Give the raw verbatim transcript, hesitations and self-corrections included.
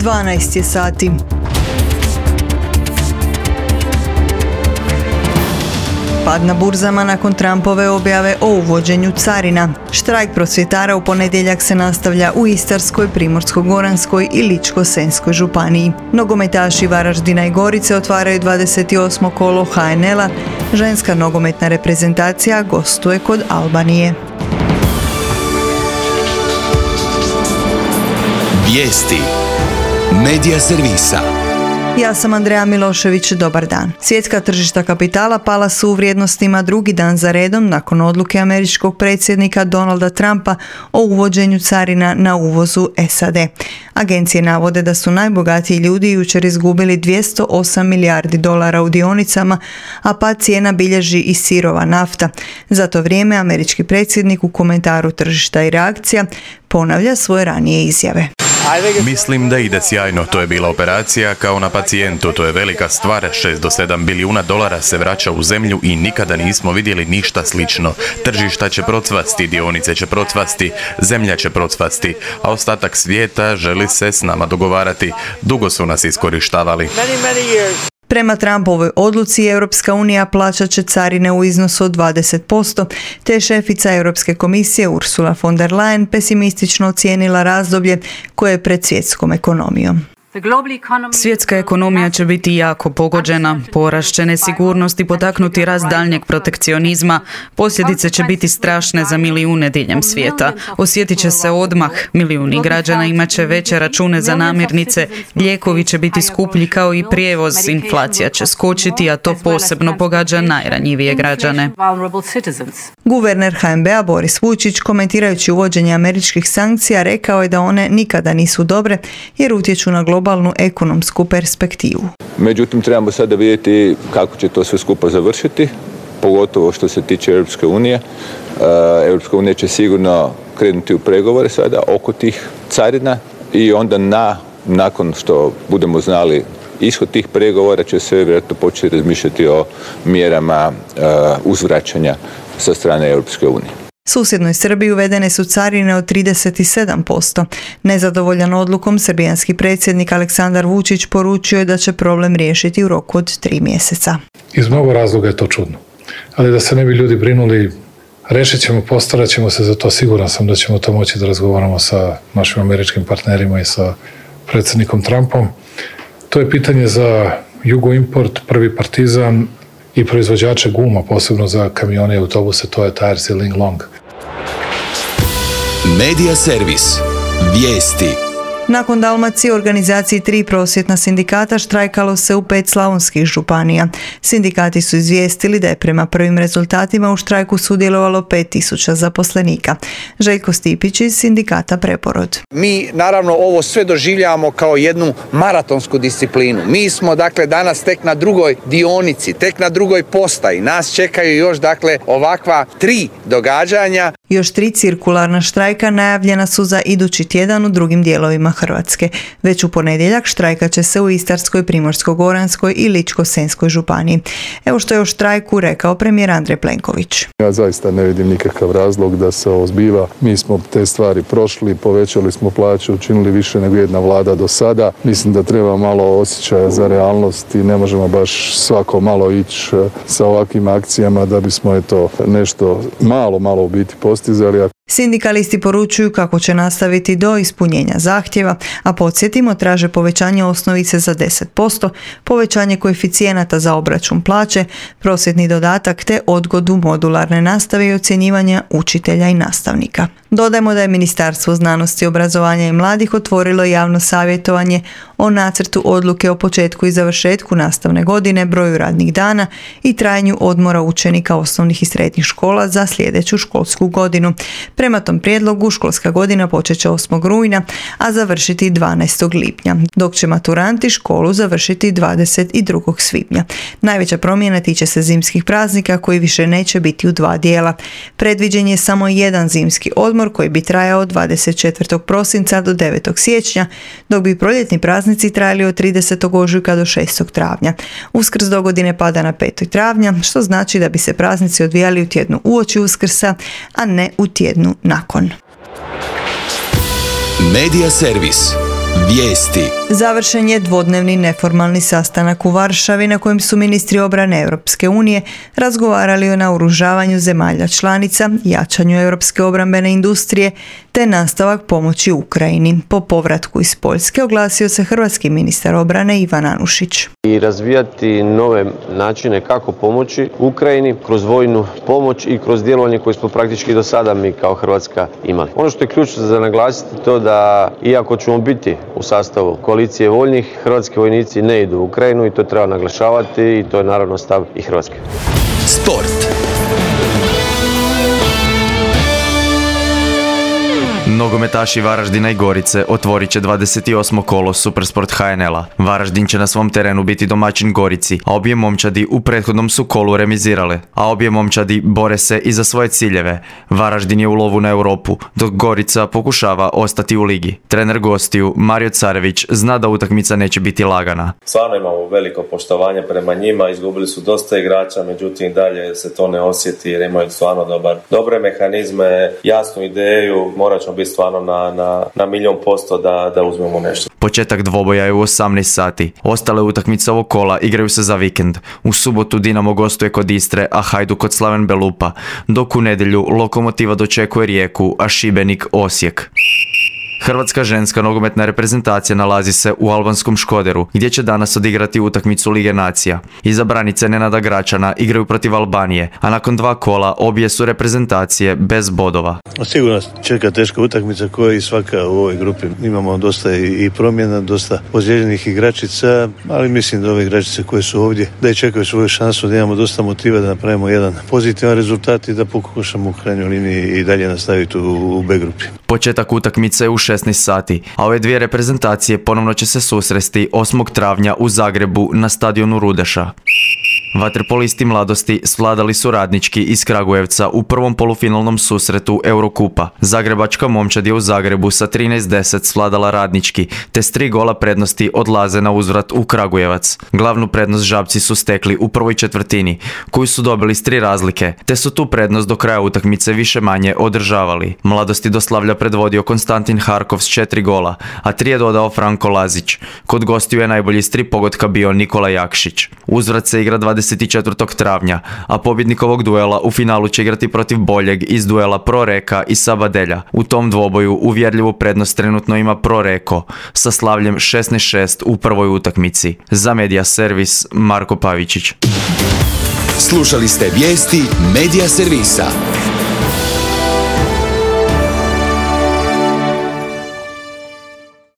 dvanaest je sati. Pad na burzama nakon Trumpove objave o uvođenju carina. Štrajk prosvjetara u ponedjeljak se nastavlja u Istarskoj, Primorsko-goranskoj i Ličko-senjskoj županiji. Nogometaši Varaždina i Gorice otvaraju dvadeset osmo kolo ha en el-a. Ženska nogometna reprezentacija gostuje kod Albanije. Vijesti Medija servisa. Ja sam Andreja Milošević, dobar dan. Svjetska tržišta kapitala pala su u vrijednostima drugi dan za redom nakon odluke američkog predsjednika Donalda Trumpa o uvođenju carina na uvozu es a de. Agencije navode da su najbogatiji ljudi jučer izgubili dvjesto osam milijardi dolara u dionicama, a pad cijena bilježi i sirova nafta. Za to vrijeme američki predsjednik u komentaru tržišta i reakcija ponavlja svoje ranije izjave. Mislim da ide sjajno, to je bila operacija kao na pacijentu, to je velika stvar, šest do sedam bilijuna dolara se vraća u zemlju i nikada nismo vidjeli ništa slično. Tržišta će procvasti, dionice će procvasti, zemlja će procvasti, a ostatak svijeta želi se s nama dogovarati. Dugo su nas iskorištavali. Prema Trumpovoj odluci Europska unija plaćat će carine u iznosu od dvadeset posto, te šefica Europske komisije Ursula von der Leyen pesimistično ocijenila razdoblje koje je pred svjetskom ekonomijom. Svjetska ekonomija će biti jako pogođena, porast će nesigurnost i potaknuti rast daljnjeg protekcionizma. Posljedice će biti strašne za milijune diljem svijeta. Osjetit će se odmah, milijuni građana imat će veće račune za namirnice, lijekovi će biti skuplji kao i prijevoz, inflacija će skočiti, a to posebno pogađa najranjivije građane. Guverner ha en be-a Boris Vujčić, komentirajući uvođenje američkih sankcija, rekao je da one nikada nisu dobre jer utječu na globalnu globalnu ekonomsku perspektivu. Međutim, trebamo sada vidjeti kako će to sve skupa završiti, pogotovo što se tiče Europske unije. Europska unija će sigurno krenuti u pregovore sada oko tih carina i onda na, nakon što budemo znali ishod tih pregovora će se vjerojatno početi razmišljati o mjerama uzvraćanja sa strane Europske unije. Susjednoj Srbiji uvedene su carine od trideset sedam posto. Nezadovoljan odlukom, srbijanski predsjednik Aleksandar Vučić poručio je da će problem riješiti u roku od tri mjeseca. Iz mnogo razloga je to čudno. Ali da se ne bi ljudi brinuli, rešit ćemo, postarat ćemo se za to. Siguran sam da ćemo to moći da razgovaramo sa našim američkim partnerima i sa predsjednikom Trumpom. To je pitanje za Jugoimport, Prvi Partizan i proizvođače guma, posebno za kamione i autobuse, to je Tires i Linglong. Medija servis. Vijesti. Nakon Dalmacije u organizaciji tri prosvjetna sindikata štrajkalo se u pet slavonskih županija. Sindikati su izvijestili da je prema prvim rezultatima u štrajku sudjelovalo pet tisuća zaposlenika. Željko Stipić iz sindikata Preporod. Mi naravno ovo sve doživljavamo kao jednu maratonsku disciplinu. Mi smo dakle danas tek na drugoj dionici, tek na drugoj postaji. Nas čekaju još dakle ovakva tri događanja. Još tri cirkularna štrajka najavljena su za idući tjedan u drugim dijelovima Hrvatske. Već u ponedjeljak štrajkat će se u Istarskoj, Primorsko-goranskoj i Ličko-senjskoj županiji. Evo što je o štrajku rekao premijer Andrej Plenković. Ja zaista ne vidim nikakav razlog da se ovo zbiva. Mi smo te stvari prošli, povećali smo plaće, učinili više nego jedna vlada do sada. Mislim da treba malo osjećaja za realnost i ne možemo baš svako malo ići sa ovakvim akcijama da bismo eto nešto malo, malo u biti postizali. Sindikalisti poručuju kako će nastaviti do ispunjenja zahtjeva, a podsjetimo traže povećanje osnovice za deset posto, povećanje koeficijenata za obračun plaće, prosvjetni dodatak te odgodu modularne nastave i ocjenjivanja učitelja i nastavnika. Dodajmo da je Ministarstvo znanosti, obrazovanja i mladih otvorilo javno savjetovanje o nacrtu odluke o početku i završetku nastavne godine, broju radnih dana i trajanju odmora učenika osnovnih i srednjih škola za sljedeću školsku godinu. Prema tom prijedlogu školska godina počet će osmog rujna, a završiti dvanaestog lipnja, dok će maturanti školu završiti dvadeset drugog svibnja. Najveća promjena tiče se zimskih praznika koji više neće biti u dva dijela. Predviđen je samo jedan zimski odmor koji bi trajao od dvadeset četvrtog prosinca do devetog siječnja, dok bi proljetni praznici trajali od tridesetog ožujka do šestog travnja. Uskrs dogodine pada na petog travnja, što znači da bi se praznici odvijali u tjednu uoči Uskrsa, a ne u tjednu nakon. Medija servis. Vijesti. Završen je dvodnevni neformalni sastanak u Varšavi na kojem su ministri obrane Europske unije razgovarali o naoružavanju zemalja članica, jačanju europske obrambene industrije te nastavak pomoći Ukrajini. Po povratku iz Poljske oglasio se hrvatski ministar obrane Ivan Anušić. I razvijati nove načine kako pomoći Ukrajini kroz vojnu pomoć i kroz djelovanje koje smo praktički do sada mi kao Hrvatska imali. Ono što je ključno za naglasiti to da iako ćemo biti u sastavu koalicije voljnih, hrvatski vojnici ne idu u Ukrajinu i to treba naglašavati i to je naravno stav i Hrvatske. Sport. Nogometaši Varaždina i Gorice otvorit će dvadeset osmo kolo Supersport H N L-a. Varaždin će na svom terenu biti domaćin Gorici, a obje momčadi u prethodnom su kolu remizirale. A obje momčadi bore se i za svoje ciljeve. Varaždin je u lovu na Europu, dok Gorica pokušava ostati u ligi. Trener gostiju Mario Carević zna da utakmica neće biti lagana. Stvarno imamo veliko poštovanje prema njima, izgubili su dosta igrača, međutim dalje se to ne osjeti jer imaju stvarno dobar, dobre mehanizme, jasnu ideju, morat ćemo biti stvarno na, na, na milijon posto da, da uzmemo nešto. Početak dvoboja je u osamnaest sati. Ostale utakmice ovog kola igraju se za vikend. U subotu Dinamo gostuje kod Istre, a Hajduk kod Slaven Belupa, dok u nedjelju Lokomotiva dočekuje Rijeku, a Šibenik Osijek. Hrvatska ženska nogometna reprezentacija nalazi se u albanskom Škoderu, gdje će danas odigrati utakmicu Lige nacija. Izabranice Nenada Gračana igraju protiv Albanije, a nakon dva kola obje su reprezentacije bez bodova. Sigurno čeka teška utakmica koja i svaka u ovoj grupi. Imamo dosta i promjena, dosta ozlijeđenih igračica, ali mislim da ove igračice koje su ovdje da i čekaju svoju šansu, da imamo dosta motiva da napravimo jedan pozitivan rezultat i da pokušamo u krajnjoj liniji i dalje nastaviti u, u B grupi. Početak utakmice je u šesnaest sati, a ove dvije reprezentacije ponovno će se susresti osmog travnja u Zagrebu na stadionu Rudeša. Vaterpolisti mladosti svladali su Radnički iz Kragujevca u prvom polufinalnom susretu Eurokupa. Zagrebačka momčad je u Zagrebu sa trinaest deset svladala Radnički, te s tri gola prednosti odlaze na uzvrat u Kragujevac. Glavnu prednost Žabci su stekli u prvoj četvrtini, koju su dobili s tri razlike, te su tu prednost do kraja utakmice više manje održavali. Mladosti do slavlja predvodio Konstantin Harkov s četiri gola, a tri je dodao Franko Lazić. Kod gostiju je najbolji s tri pogotka bio Nikola Jakšić. Uzvrat se igra dvadeset četvrtog travnja, a pobjednik ovog duela u finalu će igrati protiv boljeg iz duela Proreka i Sabadelja. U tom dvoboju uvjerljivu prednost trenutno ima Proreko sa slavljem šesnaest šest u prvoj utakmici. Za Medija Servis Marko Pavičić. Slušali ste vijesti Medija Servisa.